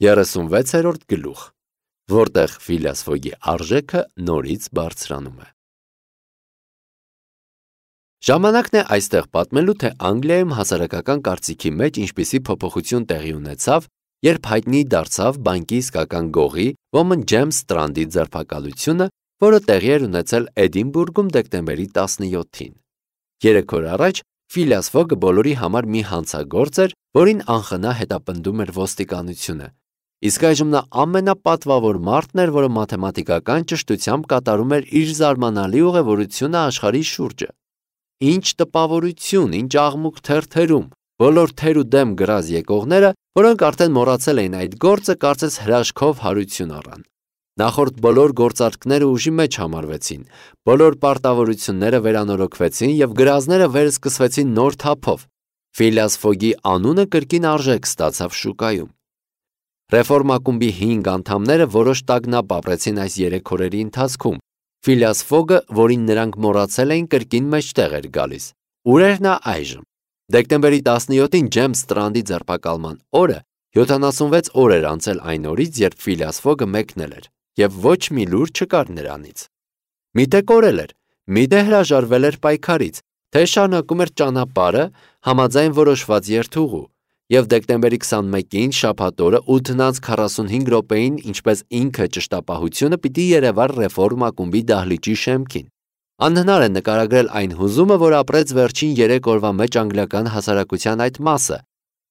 36-րդ գլուխ, որտեղ Ֆիլիաս Ֆոգի արժեքը նորից բարձրանում է։ Ժամանակն է այստեղ պատմելու, թե Անգլիայում հասարակական կարծիքի մեջ ինչպիսի փոփոխություն տեղի ունեցավ, երբ հայտնի դարձավ բանկի իսկական գողի ոմն Ջեյմս Ստրանդի ձերբակալությունը, որը տեղի էր ունեցել Էդինբուրգում դեկտեմբերի 17-ին։ 3 օր առաջ Ֆիլիաս Ֆոգը բոլորի համար մի հանցագործ էր, որին անխնա հետապնդում էր ոստիկանությունը։ Իսկ այժմ նա ամենապատվավոր մարդն էր, որը մաթեմատիկական ճշտությամբ կատարում էր իր զարմանալի ուղևորությունը աշխարհի շուրջը։ Ինչ տպավորություն, ինչ աղմուկ թերթերում, բոլոր թեր ու դեմ գրազ եկողները, որոնք արդեն մոռացել էին այդ գործը, կարծես հրաշքով հարություն առան։ Նախորդ բոլոր գործարքները ուժի մեջ համարվեցին, բոլոր պարտավորությունները վերանորոգվեցին և գրազները վերսկսվեցին նոր թափով։ Ֆիլիաս Ֆոգի անունը կրկին արժեք ստացավ շուկայում։ Ռեֆորմակումբի 5 անդամները որոշ տագնապ ապրեցին այս 3 օրերի ընթացքում։ Ֆիլիաս Ֆոգը, որին նրանք մոռացել էին, կրկին մեջտեղ էր գալիս։ Ուր էր նա այժմ։ Դեկտեմբերի 17-ին Ջեյմս Ստրանդի ձերբակալման օրը 76 օր էր անցել այն օրից, երբ Ֆիլիաս Ֆոգը մեկնել էր, և ոչ մի լուր չկար նրանից։ Միթե կորել էր, միթե հրաժարվել էր պայքարից, թե շարունակում էր ճանապարհը համաձայն որոշված երթուղու, և դեկտեմբերի 21-ին շաբաթ օրը 8:45 րոպեին, ինչպես ինքը ճշտապահությունը, պիտի երևար Ռեֆորմ ակումբի դահլիճի շեմքին։ Անհնար է նկարագրել այն հուզումը, որ ապրեց վերջին 3 օրվա մեջ անգլիական հասարակության այդ մասը։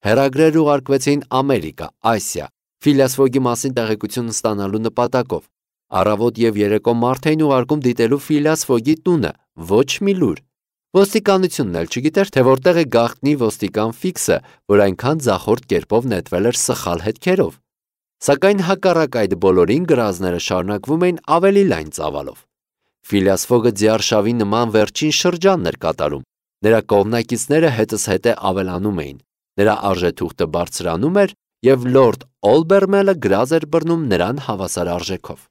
Հեռագրեր ուղարկվեցին Ամերիկա, Ասիա, Ֆիլիաս Ֆոգի մասին տեղեկություն ստանալու նպատակով։ Առավոտ և երեկո մարդ էին ուղարկում դիտելու Ֆիլիաս Ֆոգի տունը, ոչ մի լուր։ Ոստիկանությունն էլ չգիտեր, թե որտեղ է գաղտնի ոստիկան Ֆիքսը, որ այնքան ձախորդ կերպով նետվել էր սխալ հետքերով։ Սակայն հակառակ այդ բոլորին գրազները շարունակվում էին ավելի լայն ծավալով։ Ֆիլիաս Ֆոգը ձիարշավի նման վերջին շրջանն էր կատարում։ Նրա կողմնակիցները հետզհետե ավելանում էին։ Նրա արժեթուղթը բարձրանում էր, և լորդ Օլբերմելը գրազ էր բռնում նրան հավասար արժեքով։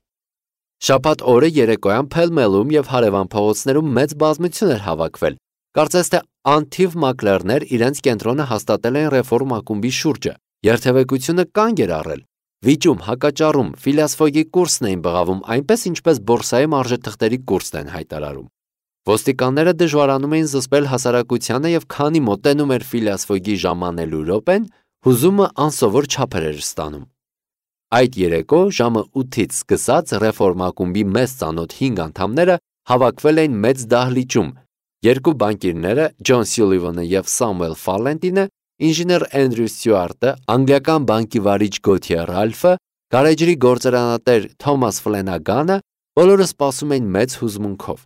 Շաբաթ օրը երեկոյան Փելմելում և հարևան փողոցներում մեծ բազմություն էր հավաքվել։ Կարծես թե անթիվ մակլերներ իրենց կենտրոնը հաստատել էին Ռեֆորմ ակումբի շուրջը։ Երթևեկությունը կանգ էր առել։ Վիճում, հակաճառում, Ֆիլիաս Ֆոգի կուրսն էին բղավում, այնպես ինչպես բորսայում արժեթղթերի կուրսն են հայտարարում։ Ոստիկանները դժվարանում էին զսպել հասարակությանը, և քանի մոտենում էր Ֆիլիաս Ֆոգի ժամանելու րոպեն, հուզումը անսովոր չափեր էր ստանում։ Այդ երեկո ժամը 8-ից սկսած Ռեֆորմ ակումբի մեզ ծանոթ 5 անդամները հավաքվել էին մեծ դահլիճում։ Երկու բանկիրները, Ջոն Սյուլիվանը և Սամուել Ֆալենտինը, ինժեներ Էնդրյու Ստյուարտը, անգլիական բանկի վարիչ Գոթիե Ռալֆը, գարեջրի գործարանատեր Թոմաս Ֆլենագանը, բոլորը սպասում էին մեծ հուզմունքով։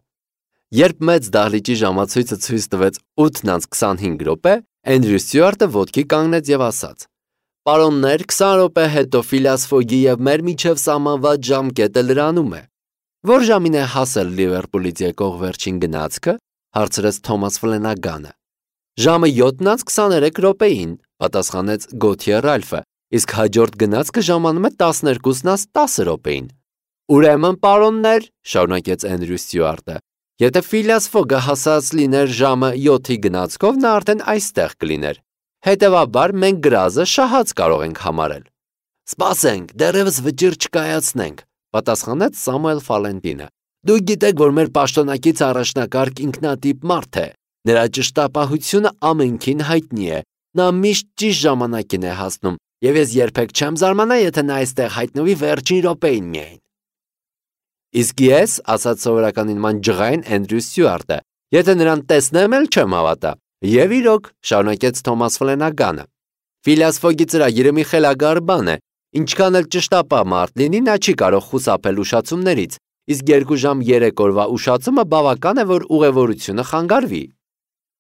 Երբ մեծ դահլիճի ժամացույցը ցույց տվեց 8:25, Էնդրյու Ստյուարտը ոտքի կանգնեց և ասաց. «Պարոններ, 20 րոպե հետո Ֆիլիաս Ֆոգի և մեր միջև սահմանված ժամկետը լրանում է»։ «Որ ժամին է հասել Լիվերպուլից եկող վերջին գնացքը»։ Հարցրեց Թոմաս Ֆլենագանը։ «Ժամը 7:23 պատասխանեց Գոթիե Ռալֆը, իսկ հաջորդ գնացքը ժամանում է 12:10 «Ուրեմն, պարոններ», շարունակեց Էնդրյու Ստյուարտը, «եթե Ֆիլիաս Ֆոգը հասած լիներ ժամը 7-ի գնացքով, նա արդեն այստեղ կլիներ։ Հետևաբար, մենք գրազը շահած կարող ենք համարել»։ «Սպասենք, դեռևս վճիռ չկայացնենք», պատասխանեց Սամուել Ֆալենտինը։ «Դուք գիտեք, որ մեր պաշտոնակից առաջնակարգ ինքնատիպ մարդ է։ Նրա ճշտապահությունը ամենքին հայտնի է։ Նա միշտ ճիշտ ժամանակին է հասնում, և ես երբեք չեմ զարմանա, եթե նա այստեղ հայտնվի վերջին րոպեին միայն»։ «Իսկ ես», ասաց սովորական նման ջղայն Էնդրյու Ստյուարտը, «եթե նրան տեսնեմ էլ չեմ հավատա»։ «Եվ իրոք», շարունակեց Թոմաս Ֆլենագանը, «Ֆիլիաս Ֆոգի ծրագիրը մի խելագար բան է։ Ինչքան էլ ճշտապահ մարդ լինի, նա չի կարող խուսափել ուշացումներից, իսկ 2 ժամ 3 օրվա ուշացումը բավական է, որ ուղևորությունը խանգարվի։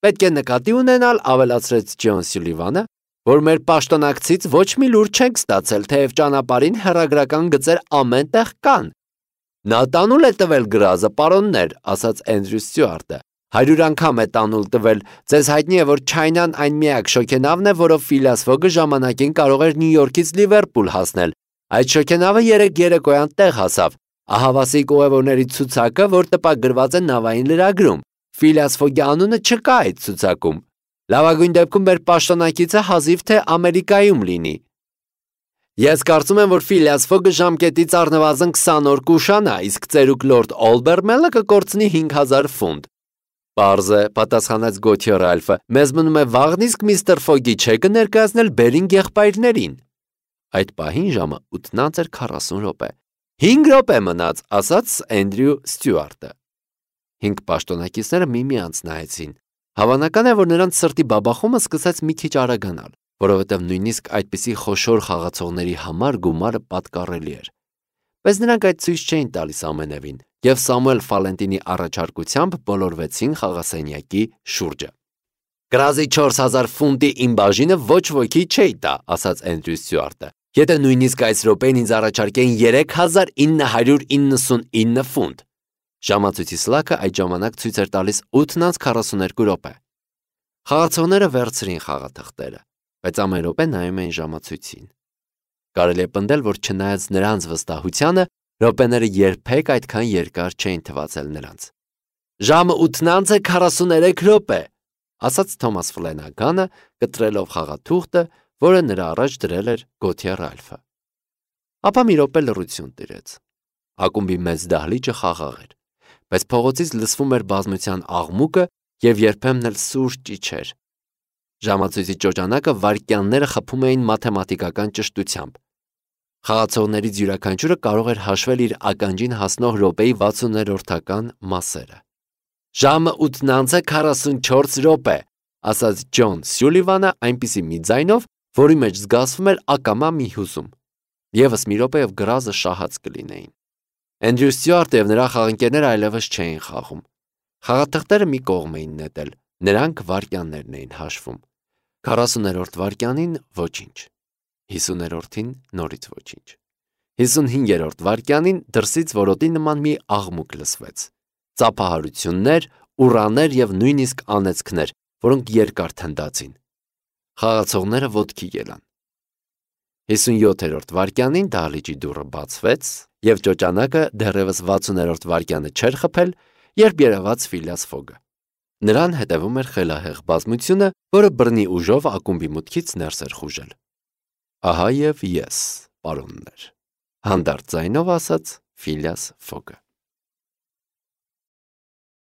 Պետք է նկատի ունենալ», ավելացրեց Ջոն Սյուլիվանը, «որ մեր պաշտոնակցից ոչ մի լուր չենք ստացել, թեև ճանապարհին հեռագրական գծեր ամեն տեղ կան»։ «Նա տանուլ է տվել գրազը, պարոններ», ասաց Էնդրյու Ստյուարտը։ 100 անգամ է տանուլ տվել։ Ձեզ հայտնի է, որ Չայնան այն միակ շոգենավն է, որով Ֆիլիաս Ֆոգը ժամանակին կարող էր Նյու Յորքից Լիվերպուլ հասնել։ Այդ շոգենավը երեկոյան տեղ հասավ։ Ահավասիկ ուղևորների ցուցակը, որ տպագրված է նավային լրագրում։ Ֆիլիաս Ֆոգի անունը չկա այդ ցուցակում։ Լավագույն դեպքում մեր պաշտոնակիցը հազիվ թե Ամերիկայում լինի։ Ես կարծում եմ, որ Ֆիլիաս Ֆոգը ժամկետից առնվազն 20 օր կուշանա, իսկ ծերուկ լորդ Օլբերմելը կկորցնի 5000 ֆունտ։ Պարզ է, պատասխանեց Գոթյե Ռալֆը, մեզ մնում է վաղն իսկ միստր Ֆոգի չեկը ներկայացնել Բերինգ եղբայրներին։ Այդ պահին ժամը 8:40 րոպե։ 5 րոպե մնաց, ասաց Էնդրյու Ստյուարտը։ 5 պաշտոնակիցները միմյանց նայեցին։ Հավանական է, որ նրանց սրտի բաբախումը սկսեց մի քիչ արագանալ, որովհետև նույնիսկ այդպիսի խոշոր խաղացողների համար գումարը պատկառելի էր։ Բայց նրանք այդ ցույց չէին տալիս ամենևին, եւ Սամուել Ֆալենտինի առաջարկությամբ բոլորվեցին խաղասենյակի շուրջը։ Գրազի 4000 ֆունտի իմ բաժինը ոչ ոքի չէի տա, ասաց Էնդրյու Ստյուարտը։ Եթե նույնիսկ այս րոպեին ինձ առաջարկեին 3999 ֆունտ։ Ժամացույցի սլաքը այդ ժամանակ ցույց էր տալիս 8:42 րոպե։ Խաղացողները վերցրին խաղաթղթերը, բայց ամեն րոպե նայում էին ժամացույցին։ Կարելի է պնդել, որ չնայած նրանց վստահությանը, րոպեները երբեք այդքան երկար չէին թվացել նրանց։ Ժամը 8:43 րոպե, ասաց Թոմաս Ֆլենագանը, կտրելով խաղաթուղթը, որը նրա առաջ դրել էր Գոթյե Ռալֆը։ Ապա մի րոպե լռություն տիրեց։ Ակումբի մեծ դահլիճը խաղաղ էր, բայց փողոցից լսվում էր բազմության աղմուկը եւ երբեմն էլ սուր ճիչեր։ Ժամացույցի ճոճանակը վայրկյանները խփում էին մաթեմատիկական ճշտությամբ։ Խաղացողներից յուրաքանչյուրը կարող էր հաշվել իր ականջին հասնող րոպեի 60-րդական մասերը։ Ժամը 8:44 րոպե, ասաց Ջոն Սյուլիվանը այնպիսի մի ձայնով, որի մեջ զգացվում էր ակամա մի հուզում։ Եվս մի րոպե եւ գրազը շահած կլինեին։ Էնդրյու Ստյուարտը եւ նրա խաղընկերները այլևս չէին խաղում։ Խաղաթղթերը մի կողմ էին նետել, նրանք վայրկյաններն էին հաշվում։ 40-րդ վայրկյանին ոչինչ, 50-րդին նորից ոչինչ, 55-րդ վայրկյանին դրսից որոտի նման մի աղմուկ լսվեց։ Ծափահարություններ, ուռաներ եւ նույնիսկ անեծքներ, որոնք երկար թնդացին։ Խաղացողները ոտքի ելան։ 57-րդ վայրկյանին դահլիճի դուռը բացվեց եւ ճոճանակը դեռևս 60-րդ վայրկյանը չէր խփել, երբ երևաց Ֆիլիաս Ֆոգը։ Նրան հետևում էր խելահեղ բազմությունը, որը բռնի ուժով ակումբի մուտքից ներս էր խուժել։ Ահա եւ ես, պարոններ, հանդարտ ձայնով ասաց Ֆիլիաս Ֆոգը։